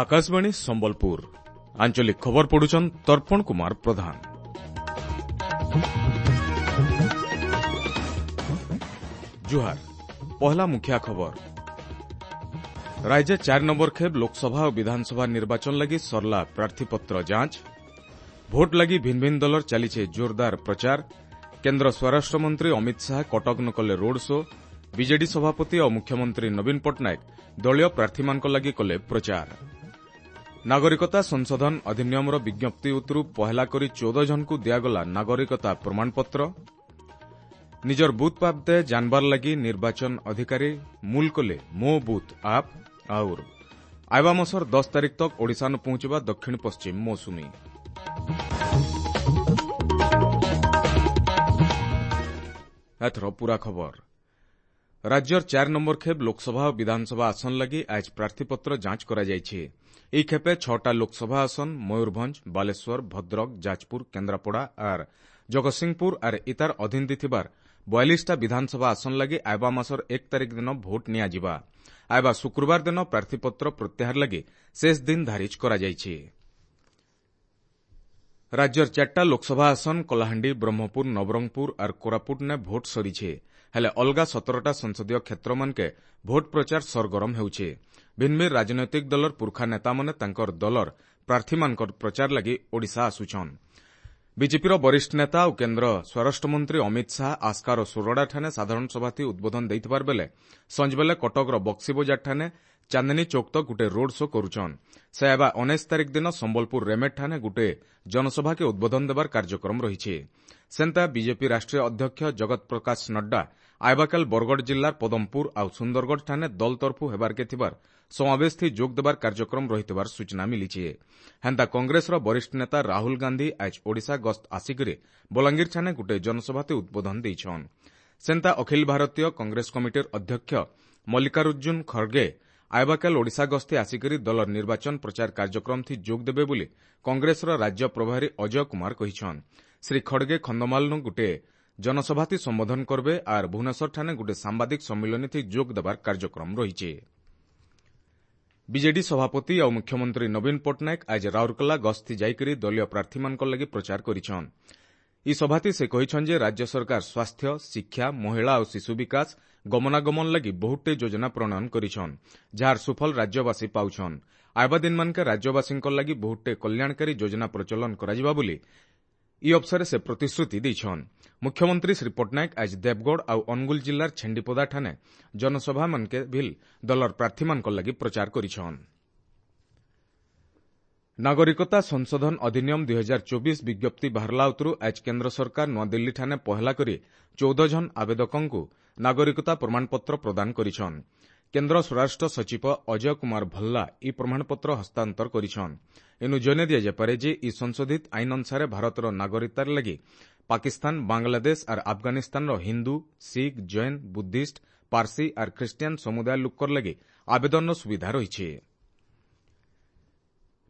ଆକାଶବାଣୀ ସମ୍ବଲପୁର ଆଞ୍ଚଳିକ ଖବର ପଢୁଛନ୍ ତର୍ପଣ କୁମାର ପ୍ରଧାନ। ଜୁହାର, ପହଲା ମୁଖିଆ ଖବର। ରାଜ୍ୟ 4 ନମ୍ବର ଖେପ୍ ଲୋକସଭା ଓ ବିଧାନସଭା ନିର୍ବାଚନ ଲାଗି ସରଲା ପ୍ରାର୍ଥୀପତ୍ର ଯାଞ୍ଚ। ଭୋଟ ଲାଗି ଭିନ୍ ଭିନ୍ ଦଳର ଚାଲିଛେ ଜୋରଦାର ପ୍ରଚାର। କେନ୍ଦ୍ର ସ୍ୱରାଷ୍ଟ୍ରମନ୍ତ୍ରୀ ଅମିତ ଶାହା କଟକ ନ କଲେ ରୋଡ୍ ଶୋ। ବିଜେଡି ସଭାପତି ଓ ମୁଖ୍ୟମନ୍ତ୍ରୀ ନବୀନ ପଟ୍ଟନାୟକ ଦଳୀୟ ପ୍ରାର୍ଥୀମାନଙ୍କ ଲାଗି କଲେ ପ୍ରଚାର। ନାଗରିକତା ସଂଶୋଧନ ଅଧିନିୟମର ବିଜ୍ଞପ୍ତି ଉତ୍ତରୁ ପହେଲା କରି 14 ଜଣଙ୍କୁ ଦିଆଗଲା ନାଗରିକତା ପ୍ରମାଣପତ୍ର। ନିଜର ବୁଥ୍ ବାବଦେ ଜାନବାର ଲାଗି ନିର୍ବାଚନ ଅଧିକାରୀ ମୂଲ କଲେ ମୋ ବୁଥ୍ ଆପ୍। ଆଉର ଆଇବା ମାସର 10 ତାରିଖ ତକ୍ ଓଡ଼ିଶାନୁ ପହଞ୍ଚିବା ଦକ୍ଷିଣ ପଶ୍ଚିମ ମୌସୁମୀ। ଏଥର ପୂରା ଖବର। ରାଜ୍ୟର 4 ନମ୍ବର ଖେପ୍ ଲୋକସଭା ଓ ବିଧାନସଭା ଆସନ ଲାଗି ଆଜ ପ୍ରାର୍ଥୀପତ୍ର ଯାଞ୍ଚ କରାଯାଇଛି। ଏହି ଖେପେ 6ଟା ଲୋକସଭା ଆସନ ମୟୂରଭଞ୍ଜ, ବାଲେଶ୍ୱର, ଭଦ୍ରକ, ଯାଜପୁର, କେନ୍ଦ୍ରାପଡ଼ା ଆର୍ ଜଗତସିଂହପୁର ଆର୍ ଇତାର ଅଧୀନ ଥିବାର 42ଟା ବିଧାନସଭା ଆସନ ଲାଗି ଆଇବା ମାସର 1 ତାରିଖ ଦିନ ଭୋଟ ନିଆଯିବା। ଆଇବା ଶୁକ୍ରବାର ଦିନ ପ୍ରାର୍ଥୀପତ୍ର ପ୍ରତ୍ୟାହାର ଲାଗି ଶେଷ ଦିନ ଧାରିଜ କରାଯାଇଛି। ରାଜ୍ୟର 4ଟା ଲୋକସଭା ଆସନ କଳାହାଣ୍ଡି, ବ୍ରହ୍ମପୁର, ନବରଙ୍ଗପୁର ଆର୍ କୋରାପୁଟନେ ଭୋଟ ସରିছে। ହେଲେ ଅଲଗା 17ଟା ସଂସଦୀୟ କ୍ଷେତ୍ରମାନକେ ଭୋଟ ପ୍ରଚାର ସରଗରମ ହେଉଛି। ଭିନ୍ ଭିନ୍ ରାଜନୈତିକ ଦଳର ପୁରଖା ନେତାମାନେ ତାଙ୍କର ଦଳର ପ୍ରାର୍ଥୀମାନଙ୍କର ପ୍ରଚାର ଲାଗି ଓଡ଼ିଶା ଆସୁଛନ୍। ବିଜେପିର ବରିଷ୍ଠ ନେତା ଓ କେନ୍ଦ୍ର ସ୍ୱରାଷ୍ଟ୍ରମନ୍ତ୍ରୀ ଅମିତ ଶାହା ଆସ୍କାର ସୋରଡ଼ାଠାନେ ସାଧାରଣ ସଭାଥି ଉଦ୍ବୋଧନ ଦେଇଥିବାର ବେଲେ ସଞ୍ଜବେଲେ କଟକର ବକ୍ସିବଜାରଠାନେ ଚାନ୍ଦିନୀ ଚୌକ ତକ୍ ଗୁଟେ ରୋଡ୍ ଶୋ କରୁଛନ୍। ସେ ହେବା 19 ତାରିଖ ଦିନ ସମ୍ବଲପୁର ରେମେଟ୍ଠାନେ ଗୁଟେ ଜନସଭାକେ ଉଦ୍ବୋଧନ ଦେବାର କାର୍ଯ୍ୟକ୍ରମ ରହିଛି। ସେନ୍ତା ବିଜେପି ରାଷ୍ଟ୍ରୀୟ ଅଧ୍ୟକ୍ଷ ଜଗତ ପ୍ରକାଶ ନଡ୍ଡା ଆଇବାକାଲ ବରଗଡ଼ ଜିଲ୍ଲାର ପଦମପୁର ଆଉ ସୁନ୍ଦରଗଡ଼ଠାନେ ଦଳ ତରଫୁ ହେବାର୍କେ ଥିବାର ସମାବେଶଥି ଯୋଗ ଦେବାର କାର୍ଯ୍ୟକ୍ରମ ରହିଥିବାର ସୂଚନା ମିଳିଛି। ହେନ୍ତା କଂଗ୍ରେସର ବରିଷ୍ଠ ନେତା ରାହୁଲ ଗାନ୍ଧୀ ଆଜ ଓଡ଼ିଶା ଗସ୍ତ ଆସିକରି ବଲାଙ୍ଗୀରଠାନେ ଗୁଟେ ଜନସଭାତେ ଉଦ୍ବୋଧନ ଦେଇଛନ୍। ସେନ୍ତା ଅଖିଳ ଭାରତୀୟ କଂଗ୍ରେସ କମିଟିର ଅଧ୍ୟକ୍ଷ ମଲ୍ଲିକାର୍ଜୁନ ଖଡ଼ଗେ ଆଇବାକାଲ ଓଡ଼ିଶା ଗସ୍ତେ ଆସିକରି ଦଳର ନିର୍ବାଚନ ପ୍ରଚାର କାର୍ଯ୍ୟକ୍ରମଥି ଯୋଗ ଦେବେ ବୋଲି କଂଗ୍ରେସର ରାଜ୍ୟ ପ୍ରଭାରୀ ଅଜୟ କୁମାର କହିଛନ୍। ଶ୍ରୀ ଖଡ଼ଗେ ଖଣ୍ଡମାଲନୁ ଗୁଟେ ଜନସଭାଥି ସମ୍ବୋଧନ କରବେ ଆର୍ ଭୁବନେଶ୍ୱରଠାନେ ଗୁଟେ ସାମ୍ବାଦିକ ସମ୍ମିଳନୀଥି ଯୋଗ ଦେବାର କାର୍ଯ୍ୟକ୍ରମ ରହିଛି। ବିଜେଡି ସଭାପତି ଆଉ ମୁଖ୍ୟମନ୍ତ୍ରୀ ନବୀନ ପଟ୍ଟନାୟକ ଆଜ ରାଉରକେଲା ଗସ୍ତି ଯାଇକରି ଦଳୀୟ ପ୍ରାର୍ଥୀମାନଙ୍କ ଲାଗି ପ୍ରଚାର କରିଛନ୍। ଇ ସଭାତି ସେ କହିଛନ୍ ଯେ ରାଜ୍ୟ ସରକାର ସ୍ୱାସ୍ଥ୍ୟ, ଶିକ୍ଷା, ମହିଳା ଓ ଶିଶୁ ବିକାଶ, ଗମନାଗମନ ଲାଗି ବହୁତଟେ ଯୋଜନା ପ୍ରଣୟନ କରିଛନ୍, ଯାହାର ସୁଫଳ ରାଜ୍ୟବାସୀ ପାଉଛନ୍। ଆଇବା ଦିନମାନକେ ରାଜ୍ୟବାସୀଙ୍କ ଲାଗି ବହୁତଟେ କଲ୍ୟାଣକାରୀ ଯୋଜନା ପ୍ରଚଳନ କରାଯିବା ବୋଲି ଇ ଅବସରରେ ସେ ପ୍ରତିଶ୍ରୁତି ଦେଇଛନ୍। ମୁଖ୍ୟମନ୍ତ୍ରୀ ଶ୍ରୀ ପଟ୍ଟନାୟକ ଆଜ ଦେବଗଡ଼ ଆଉ ଅନୁଗୁଳ ଜିଲ୍ଲାର ଛେଣ୍ଡିପଦାଠାନେ ଜନସଭାମାନକେ ଭିଲ୍ ଦଳର ପ୍ରାର୍ଥୀମାନଙ୍କ ଲାଗି ପ୍ରଚାର କରିଛନ୍। ନାଗରିକତା ସଂଶୋଧନ ଅଧିନିୟମ 2024 ବିଜ୍ଞପ୍ତି ବାହାରିଲା ଉତ୍ତରୁ ଆଜ କେନ୍ଦ୍ର ସରକାର ନୂଆଦିଲ୍ଲୀଠାନେ ପହେଲା କରି 14 ଜଣ ଆବେଦକଙ୍କୁ ନାଗରିକତା ପ୍ରମାଣପତ୍ର ପ୍ରଦାନ କରିଛନ୍। କେନ୍ଦ୍ର ସ୍ୱରାଷ୍ଟ୍ର ସଚିବ ଅଜୟ କୁମାର ଭଲ୍ଲା ଇ ପ୍ରମାଣପତ୍ର ହସ୍ତାନ୍ତର କରିଛନ୍। ଏନୁ ଜଣାଇ ଦିଆଯାଇପାରେ ଯେ ଇ ସଂଶୋଧିତ ଆଇନ ଅନୁସାରେ ଭାରତର ନାଗରିକତାର ଲାଗି ପାକିସ୍ତାନ, ବାଂଲାଦେଶ ଆର୍ ଆଫଗାନିସ୍ତାନର ହିନ୍ଦୁ, ଶିଖ, ଜୈନ, ବୁଦ୍ଧିଷ୍ଟ, ପାର୍ସି ଆର୍ ଖ୍ରୀଷ୍ଟିଆନ ସମୁଦାୟ ଲୋକର ଲାଗି ଆବେଦନର ସୁବିଧା ରହିଛି।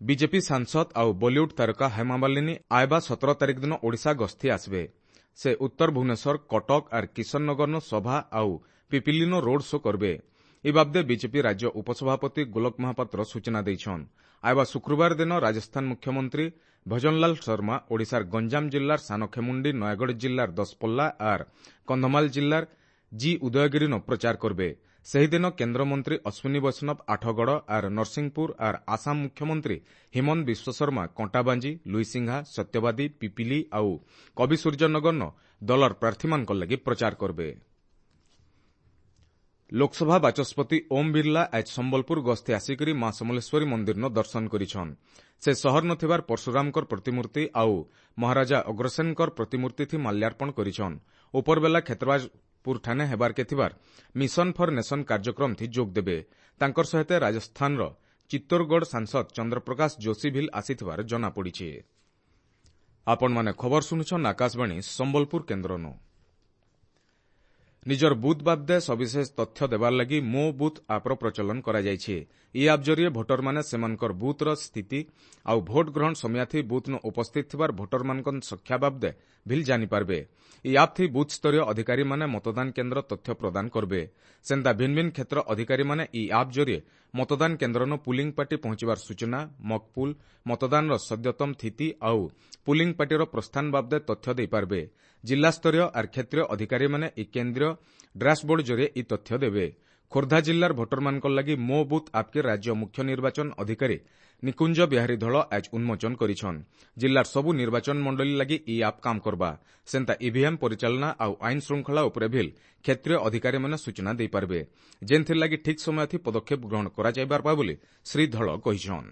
ବିଜେପି ସାଂସଦ ଆଉ ବଲିଉଡ୍ ତାରକା ହେମାମାଲିନୀ ଆଇବା 17 ତାରିଖ ଦିନ ଓଡ଼ିଶା ଗସ୍ତି ଆସିବେ। ସେ ଉତ୍ତର ଭୁବନେଶ୍ୱର, କଟକ ଆର୍ କିଶନନଗରନ ସଭା ଆଉ ପିପିଲିନୋ ରୋଡ୍ ଶୋ କରବେ। ଏ ବାବଦେ ବିଜେପି ରାଜ୍ୟ ଉପସଭାପତି ଗୋଲକ ମହାପାତ୍ର ସୂଚନା ଦେଇଛନ୍। ଆଇବା ଶୁକ୍ରବାର ଦିନ ରାଜସ୍ଥାନ ମୁଖ୍ୟମନ୍ତ୍ରୀ ଭଜନଲାଲ ଶର୍ମା ଓଡ଼ିଶାର ଗଞ୍ଜାମ ଜିଲ୍ଲାର ସାନଖେମୁଣ୍ଡି, ନୟାଗଡ଼ ଜିଲ୍ଲାର ଦଶପଲ୍ଲା ଆର୍ କନ୍ଧମାଳ ଜିଲ୍ଲାର ଜି ଉଦୟଗିରିନ ପ୍ରଚାର କରବେ। ସେହିଦିନ କେନ୍ଦ୍ରମନ୍ତ୍ରୀ ଅଶ୍ୱିନୀ ବୈଷ୍ଣବ ଆଠଗଡ଼ ଆର୍ ନରସିଂହପୁର ଆର୍ ଆସାମ ମୁଖ୍ୟମନ୍ତ୍ରୀ ହିମନ୍ତ ବିଶ୍ୱଶର୍ମା କଣ୍ଟାବାଞ୍ଜି, ଲୁଇସିଂହା, ସତ୍ୟବାଦୀ, ପିପିଲି ଆଉ କବିସୂର୍ଯ୍ୟନଗରନ ଦଳର ପ୍ରାର୍ଥୀମାନଙ୍କ ଲାଗି ପ୍ରଚାର କରବେ। ଲୋକସଭା ବାଚସ୍ପତି ଓମ୍ ବିର୍ଲା ଆଜ ସମ୍ବଲପୁର ଗସ୍ତେ ଆସିକରି ମା ସମଲେଶ୍ୱରୀ ମନ୍ଦିରନ ଦର୍ଶନ କରିଛନ୍। ସେ ସହର ନଥିବାର ପରଶୁରାମଙ୍କର ପ୍ରତିମୂର୍ତ୍ତି ଆଉ ମହାରାଜା ଅଗ୍ରସେନଙ୍କର ପ୍ରତିମୂର୍ତ୍ତିଥି ମାଲ୍ୟାର୍ପଣ କରିଛନ୍। ଉପରବେଲା କ୍ଷେତ୍ରବାଜପୁରଠାନେ ହେବାର୍କେ ଥିବାର ମିଶନ ଫର୍ ନେସନ କାର୍ଯ୍ୟକ୍ରମଥି ଯୋଗ ଦେବେ। ତାଙ୍କର ସହିତ ରାଜସ୍ଥାନର ଚିତ୍ତୋରଗଡ଼ ସାଂସଦ ଚନ୍ଦ୍ରପ୍ରକାଶ ଯୋଶୀ ଭିଲ୍ ଆସିଥିବାର ଜଣାପଡ଼ିଛି। ଆପଣମାନେ ଖବର ଶୁଣୁଛନ୍ ଆକାଶବାଣୀ ସମ୍ବଲପୁର କେନ୍ଦ୍ରନୁ। ନିଜର ବୁଥ୍ ବାବଦେ ସବିଶେଷ ତଥ୍ୟ ଦେବାର ଲାଗି ମୋ ବୁଥ୍ ଆପ୍ର ପ୍ରଚଳନ କରାଯାଇଛି। ଇ ଆପ୍ ଜରିଏ ଭୋଟରମାନେ ସେମାନଙ୍କର ବୁଥ୍ର ସ୍ଥିତି ଆଉ ଭୋଟ ଗ୍ରହଣ ସମୟାଥି ବୁଥ୍ନ ଉପସ୍ଥିତ ଥିବାର ଭୋଟରମାନଙ୍କ ସଂଖ୍ୟା ବାବଦେ ଭିଲ୍ ଜାଣିପାରିବେ। ଇ ଆପ୍ଥି ବୁଥ୍ ସ୍ତରୀୟ ଅଧିକାରୀମାନେ ମତଦାନ କେନ୍ଦ୍ର ତଥ୍ୟ ପ୍ରଦାନ କରିବେ। ସେନ୍ତା ଭିନ୍ ଭିନ୍ କ୍ଷେତ୍ର ଅଧିକାରୀମାନେ ଇ ଆପ୍ ଜରିଏ ମତଦାନ କେନ୍ଦ୍ରନ ପୁଲିଂ ପାର୍ଟି ପହଞ୍ଚିବାର ସୂଚନା, ମକପୁଲ, ମତଦାନର ସଦ୍ୟତମ ସ୍ଥିତି ଆଉ ପୁଲିଂ ପାର୍ଟିର ପ୍ରସ୍ଥାନ ବାବଦେ ତଥ୍ୟ ଦେଇପାରିବେ। ଜିଲ୍ଲାସ୍ତରୀୟ ଆର୍ କ୍ଷେତ୍ରୀୟ ଅଧିକାରୀମାନେ ଇ କେନ୍ଦ୍ରୀୟ ଡ୍ୟାସବୋର୍ଡ ଜରିଏ ଇ ତଥ୍ୟ ଦେବେ। ଖୋର୍ଦ୍ଧା ଜିଲ୍ଲାର ଭୋଟରମାନଙ୍କ ଲାଗି ମୋ ବୁଥ୍ ଆପ୍କେ ରାଜ୍ୟ ମୁଖ୍ୟ ନିର୍ବାଚନ ଅଧିକାରୀ ନିକୁଞ୍ଜ ବିହାରୀ ଧଳ ଆଜ ଉନ୍ମୋଚନ କରିଛନ୍। ଜିଲ୍ଲାର ସବୁ ନିର୍ବାଚନ ମଣ୍ଡଳୀ ଲାଗି ଇ ଆପ୍ କାମ କରବା। ସେନ୍ତା ଇଭିଏମ୍ ପରିଚାଳନା ଆଉ ଆଇନ ଶୃଙ୍ଖଳା ଉପରେ ଭିଲ୍ କ୍ଷେତ୍ରୀୟ ଅଧିକାରୀମାନେ ସୂଚନା ଦେଇପାରିବେ, ଯେନ୍ଥିର୍ ଲାଗି ଠିକ୍ ସମୟଥି ପଦକ୍ଷେପ ଗ୍ରହଣ କରାଯାଇପାରବା ବୋଲି ଶ୍ରୀ ଧଳ କହିଛନ୍।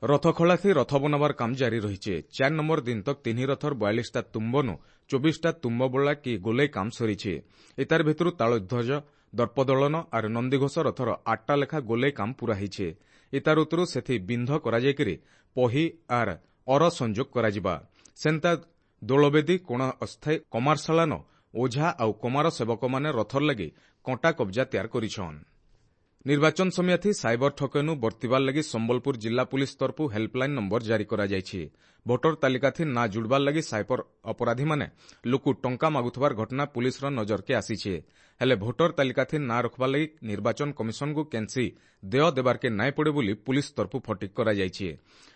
ରଥଖଳାଥି ରଥ ବନାବାର କାମ ଜାରି ରହିଛେ। 4 ନମ୍ବର ଦିନ ତକ୍ 3 ରଥର 42ଟା ତୁମ୍ବନୁ 24ଟା ତୁମ୍ବ ବୋଳା କି ଗୋଲେଇ କାମ ସରିଛେ। ଏତାର ଭିତରୁ ତାଳଧ୍ୱଜ, ଦର୍ପଦଳନ ଆର୍ ନନ୍ଦିଘୋଷ ରଥର 8ଟା ଲେଖା ଗୋଲେଇ କାମ ପୂରା ହେଇଛେ। ଇତାର ଉତ୍ତରୁ ସେଥି ବିନ୍ଧ କରାଯାଇକରି ପହି ଆର୍ ଅର ସଂଯୋଗ କରାଯିବା। ସେନ୍ତା ଦୋଳବେଦୀ କୋଣ ଅସ୍ଥାୟୀ କମାରଶାଳାନ ଓଝା ଆଉ କମାର ସେବକମାନେ ରଥର ଲାଗି କଣ୍ଟା କବ୍ଜା ତିଆର କରିଛନ୍। ନିର୍ବାଚନ ସମୟାଥି ସାଇବର ଠକେନୁ ବର୍ତ୍ତିବାର ଲାଗି ସମ୍ବଲପୁର ଜିଲ୍ଲା ପୁଲିସ ତରଫୁ ହେଲ୍ପଲାଇନ ନମ୍ବର ଜାରି କରାଯାଇଛି। ଭୋଟର ତାଲିକାଥି ନାଁ ଜୁଡ଼ବାର ଲାଗି ସାଇବର ଅପରାଧୀମାନେ ଲୋକୁ ଟଙ୍କା ମାଗୁଥିବାର ଘଟଣା ପୁଲିସର ନଜରକେ ଆସିଛେ। ହେଲେ ଭୋଟର ତାଲିକାଥି ନାଁ ରଖବାର ଲାଗି ନିର୍ବାଚନ କମିଶନକୁ କେନ୍ସି ଦେୟ ଦେବାର୍କେ ନାଇଁ ପଡ଼େ ବୋଲି ପୁଲିସ ତରଫୁ ଫଟିକ କରାଯାଇଛି।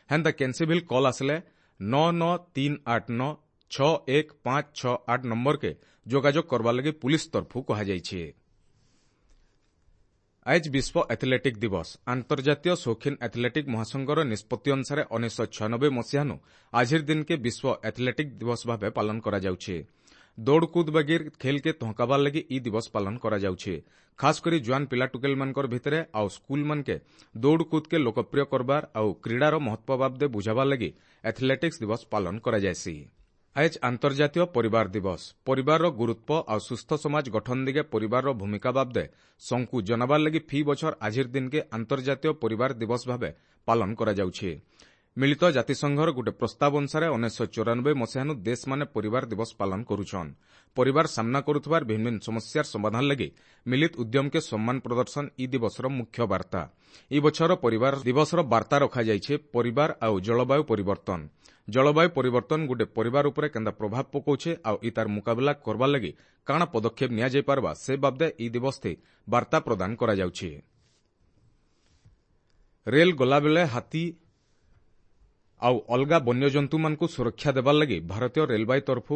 ହେନ୍ତା କେନ୍ସି ଭିଲ୍ କଲ୍ ଆସିଲେ 9 9 3 8 9 6 1 5 6 8 ନମ୍ବରକେ ଯୋଗାଯୋଗ କରବାର ଲାଗି ପୁଲିସ ତରଫୁ କୁହାଯାଇଛି। ଆଜ ବିଶ୍ୱ ଆଥଲେଟିକ୍ ଦିବସ। ଆନ୍ତର୍ଜାତୀୟ ସୌଖିନ ଆଥଲେଟିକ୍ ମହାସଂଘର ନିଷ୍ପତ୍ତି ଅନୁସାରେ 1996 ମସିହାନୁ ଆଜିର ଦିନକେ ବିଶ୍ୱ ଆଥଲେଟିକ୍ ଦିବସ ଭାବେ ପାଳନ କରାଯାଉଛି। ଦୌଡ଼କୁଦ ବାଗିର ଖେଲ୍କେ ତହକାବାର ଲାଗି ଇ ଦିବସ ପାଳନ କରାଯାଉଛି। ଖାସ କରି ଜୁଆନ ପିଲା ଟୁକେଲମାନଙ୍କର ଭିତରେ ଆଉ ସ୍କୁଲମାନକେ ଦୌଡ଼କୁଦକେ ଲୋକପ୍ରିୟ କରବାର ଆଉ କ୍ରୀଡ଼ାର ମହତ୍ୱ ବାବଦେ ବୁଝାବାର ଲାଗି ଆଥଲେଟିକ୍ସ ଦିବସ ପାଳନ କରାଯାଏସି। ଆଜ ଆନ୍ତର୍ଜାତୀୟ ପରିବାର ଦିବସ। ପରିବାରର ଗୁରୁତ୍ୱ ଆଉ ସୁସ୍ଥ ସମାଜ ଗଠନ ଦିଗେ ପରିବାରର ଭୂମିକା ବାବଦେ ସଂକୁ ଜନାବାର ଲାଗି ଫି ବଛର ଆଜିର ଦିନକେ ଆନ୍ତର୍ଜାତୀୟ ପରିବାର ଦିବସ ଭାବେ ପାଳନ କରାଯାଉଛି। ମିଳିତ ଜାତିସଂଘର ଗୋଟେ ପ୍ରସ୍ତାବ ଅନୁସାରେ 1994 ମସିହାନୁ ଦେଶମାନେ ପରିବାର ଦିବସ ପାଳନ କରୁଛନ୍। ପରିବାର ସାମ୍ନା କରୁଥିବାର ଭିନ୍ନ ଭିନ୍ନ ସମସ୍ୟାର ସମାଧାନ ଲାଗି ମିଳିତ ଉଦ୍ୟମକେ ସମ୍ମାନ ପ୍ରଦର୍ଶନ ଇ ଦିବସର ମୁଖ୍ୟ ବାର୍ତ୍ତା। ଇ ବଛର ପରିବାର ଦିବସର ବାର୍ତ୍ତା ରଖାଯାଇଛି ପରିବାର ଆଉ ଜଳବାୟୁ ପରିବର୍ତ୍ତନ। ଜଳବାୟୁ ପରିବର୍ତ୍ତନ ଗୋଟେ ପରିବାର ଉପରେ କେନ୍ତା ପ୍ରଭାବ ପକାଉଛେ ଆଉ ଇ ତାର ମୁକାବିଲା କରବାର ଲାଗି କାଣା ପଦକ୍ଷେପ ନିଆଯାଇପାରବା ସେ ବାବଦେ ଇ ଦିବସ ବାର୍ତ୍ତା ପ୍ରଦାନ କରାଯାଉଛି। ରେଲ୍ ଗଲାବେଳେ ହାତୀ ଆଉ ଅଲଗା ବନ୍ୟଜନ୍ତୁମାନଙ୍କୁ ସୁରକ୍ଷା ଦେବାର ଲାଗି ଭାରତୀୟ ରେଳବାଇ ତରଫୁ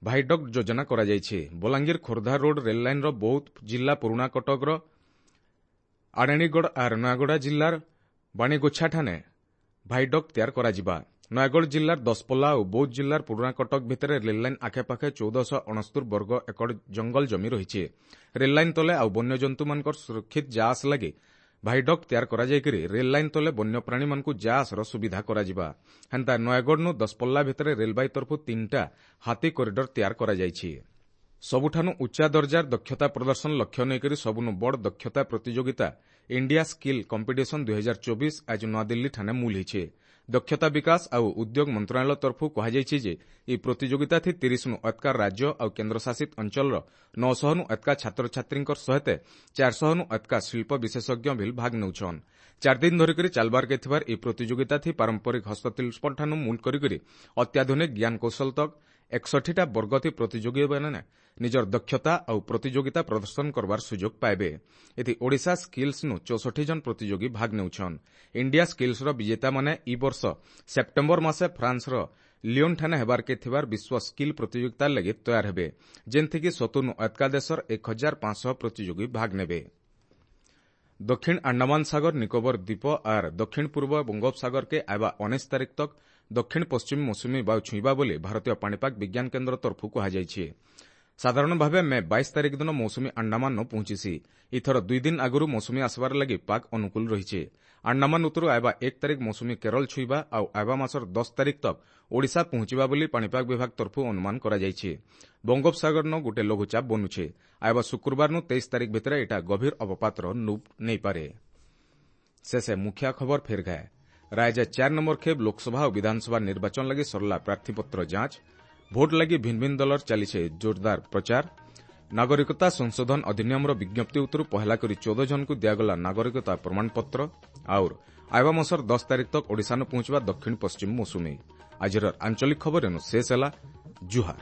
ଭାଇଡକ୍ ଯୋଜନା କରାଯାଇଛି। ବଲାଙ୍ଗୀର ଖୋର୍ଦ୍ଧା ରୋଡ୍ ରେଲ୍ ଲାଇନ୍ର ବୌଦ୍ଧ ଜିଲ୍ଲା ପୁରୁଣା କଟକର ଆଡ଼େଣୀଗଡ଼ ଆର୍ ନୟାଗଡ଼ ଜିଲ୍ଲାର ବାଣୀଗୋଛାଠାନେ ଭାଇଡକ୍ ତିଆର କରାଯିବା। ନୟାଗଡ଼ ଜିଲ୍ଲାର ଦଶପଲ୍ଲା ଓ ବୌଦ୍ଧ ଜିଲ୍ଲାର ପୁରୁଣା କଟକ ଭିତରେ ରେଲ୍ଲାଇନ୍ ଆଖେପାଖେ 1469 ବର୍ଗ ଏକର ଜଙ୍ଗଲ ଜମି ରହିଛି। ରେଲ୍ଲାଇନ୍ ତଲେ ଆଉ ବନ୍ୟଜନ୍ତୁମାନଙ୍କର ସୁରକ୍ଷିତ ଯାଆସ ଲାଗି ଭାଇଡକ୍ ତିଆର କରାଯାଇକରି ରେଲ୍ଲାଇନ୍ ତଲେ ବନ୍ୟପ୍ରାଣୀମାନଙ୍କୁ ଯାଆସର ସୁବିଧା କରାଯିବା। ହେନ୍ତା ନୟାଗଡ଼ନୁ ଦଶପଲ୍ଲା ଭିତରେ ରେଳବାଇ ତରଫୁ 3ଟା ହାତୀ କରିଡର ତିଆର କରାଯାଇଛି। ସବୁଠାନୁ ଉଚ୍ଚା ଦର୍ଜାର ଦକ୍ଷତା ପ୍ରଦର୍ଶନ ଲକ୍ଷ୍ୟ ନେଇକରି ସବୁନୁ ବଡ଼ ଦକ୍ଷତା ପ୍ରତିଯୋଗିତା ଇଣ୍ଡିଆ ସ୍କିଲ୍ କମ୍ପିଟିସନ 2024 ଆଜି ନୂଆଦିଲ୍ଲୀଠାନେ ମୂଲ ହେଇଛେ। ଦକ୍ଷତା ବିକାଶ ଆଉ ଉଦ୍ୟୋଗ ମନ୍ତ୍ରଣାଳୟ ତରଫରୁ କୁହାଯାଇଛି ଯେ ଏହି ପ୍ରତିଯୋଗିତାଥି 30ନୁ ଅତକା ରାଜ୍ୟ ଆଉ କେନ୍ଦ୍ରଶାସିତ ଅଞ୍ଚଳର 900ନୁ ଅତକା ଛାତ୍ରଛାତ୍ରୀଙ୍କର ସହିତ 400ନୁ ଅତକା ଶିଳ୍ପ ବିଶେଷଜ୍ଞ ଭିଲ୍ ଭାଗ ନେଉଛନ୍। 4 ଦିନ ଧରିକରି ଚାଲବାର୍କେ ଥିବାର ଏହି ପ୍ରତିଯୋଗିତାଥି ପାରମ୍ପରିକ ହସ୍ତଶିଳ୍ପଠାନୁ ମୂଲ କରିକରି ଅତ୍ୟାଧୁନିକ ଜ୍ଞାନକୌଶଳ ତକ୍ 61ଟା ବର୍ଗଥି ପ୍ରତିଯୋଗୀମାନେ ନିଜର ଦକ୍ଷତା ଆଉ ପ୍ରତିଯୋଗିତା ପ୍ରଦର୍ଶନ କରବାର ସୁଯୋଗ ପାଇବେ। ଏଥି ଓଡ଼ିଶା ସ୍କିଲ୍ସନୁ 64 ଜଣ ପ୍ରତିଯୋଗୀ ଭାଗ ନେଉଛନ୍। ଇଣ୍ଡିଆ ସ୍କିଲ୍ସର ବିଜେତାମାନେ ଇ ବର୍ଷ ସେପ୍ଟେମ୍ବର ମାସେ ଫ୍ରାନ୍ସର ଲିଓନ୍ଠାନେ ହେବାର୍କେ ଥିବାର ବିଶ୍ୱ ସ୍କିଲ୍ ପ୍ରତିଯୋଗିତା ଲାଗି ତୟାର ହେବେ, ଯେନ୍ଥିକି 70ନୁ ଅତକା ଦେଶର 1500 ପ୍ରତିଯୋଗୀ ଭାଗ ନେବେ। ଦକ୍ଷିଣ ଆଣ୍ଡାମାନ ସାଗର, ନିକୋବର ଦ୍ୱୀପ ଆର୍ ଦକ୍ଷିଣ ପୂର୍ବ ବଙ୍ଗୋପସାଗରକେ ଆଇବା 19 ତାରିଖ ତକ୍ ଦକ୍ଷିଣ ପଶ୍ଚିମ ମୌସୁମୀ ବାୟୁ ଛୁଇଁବା ବୋଲି ଭାରତୀୟ ପାଣିପାଗ ବିଜ୍ଞାନ କେନ୍ଦ୍ର ତରଫରୁ କୁହାଯାଇଛି। ସାଧାରଣ ଭାବେ ମେ 22 ତାରିଖ ଦିନ ମୌସୁମୀ ଆଣ୍ଡାମାନ ପହଞ୍ଚିସି। ଏଥର 2 ଦିନ ଆଗରୁ ମୌସୁମୀ ଆସିବାର ଲାଗି ପାଗ ଅନୁକୂଳ ରହିଛି। ଆଣ୍ଡାମାନ ଉତ୍ତରୁ ଆଇବା 1 ତାରିଖ ମୌସୁମୀ କେରଳ ଛୁଇଁବା ଆଉ ଆଇବା ମାସର 10 ତାରିଖ ତକ୍ ଓଡ଼ିଶା ପହଞ୍ଚିବା ବୋଲି ପାଣିପାଗ ବିଭାଗ ତରଫରୁ ଅନୁମାନ କରାଯାଇଛି। ବଙ୍ଗୋପସାଗରନ ଗୋଟେ ଲଘୁଚାପ ବନୁଛେ। ଆଇବା ଶୁକ୍ରବାରନୁ 23 ତାରିଖ ଭିତରେ ଏଟା ଗଭୀର ଅବପାତର ନୂପ ନେଇପାରେ। ଶେଷେ ମୁଖ୍ୟ ଖବର ଫେର ଗାଏ। ରାଜ୍ୟ 4 ନମ୍ବର ଖେପ୍ ଲୋକସଭା ଓ ବିଧାନସଭା ନିର୍ବାଚନ ଲାଗି ସରିଲା ପ୍ରାର୍ଥୀପତ୍ର ଯାଞ୍ଚ। ଭୋଟ ଲାଗି ଭିନ୍ନ ଭିନ୍ନ ଦଳର ଚାଲିছে ଜୋରଦାର ପ୍ରଚାର। ନାଗରିକତା ସଂଶୋଧନ ଅଧିନିୟମର ବିଜ୍ଞପ୍ତି ଉତ୍ତରୁ ପହେଲା କରି 14 ଜଣଙ୍କୁ ଦିଆଗଲା ନାଗରିକତା ପ୍ରମାଣପତ୍ର। ଆଉର ଆଇବା ମାସର 10 ତାରିଖ ତକ୍ ଓଡ଼ିଶାନୁ ପହଞ୍ଚିବା ଦକ୍ଷିଣ ପଶ୍ଚିମ ମୌସୁମୀ। ଆଜିର ଆଞ୍ଚଳିକ ଖବର ଏନୁ ଶେଷ ହେଲା। ଜୁହାର।